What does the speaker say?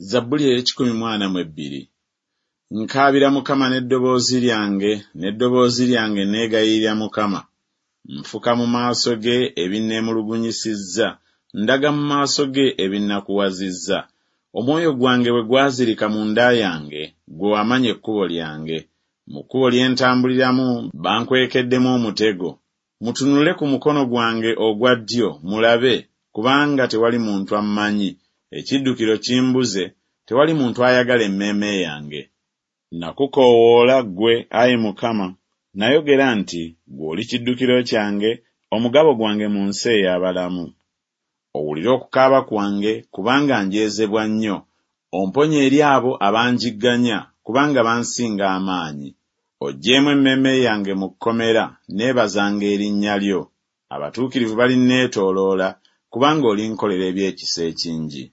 Zabbuli ey'ekikumi mu ana mu ebbiri. Nkaabira Mukama n'eddoboozi lyange, n'eddoboozi lyange neegayirira Mukama. Nfuka mu maaso ge ebinneemulugunyisizza, ndaga mu maaso ge ebinnakuwazizza. Omwoyo gwange bwe gwazirika munda yange, ggwe wamanya ekkubo lyange. Mu kkubo lye ntambuliramu bankwekeddemu omutego. Mutunule ku mukono gwange ogwa ddyo, mulabe, kubanga tewali muntu ammanyi, ekiddukiro kimbuze, tewali muntu ayagala emmeeme yange. Nakukoowoola ggwe, ayi Mukama, nayogera nti Ggwe oli kiddukiro kyange, omugabo gwange mu nsi ey'abalamu. Owulire okukaaba kwange, kubanga njeezebwa nnyo, omponye eri abo abanjigganya, kubanga bansinga amaanyi. Oggyeemu emmeeme yange mu kkomera, nneebazanga erinnya lyo. Abatuukirivu balinneetooloola, kubanga olinkolera eby'ekisa ekingi.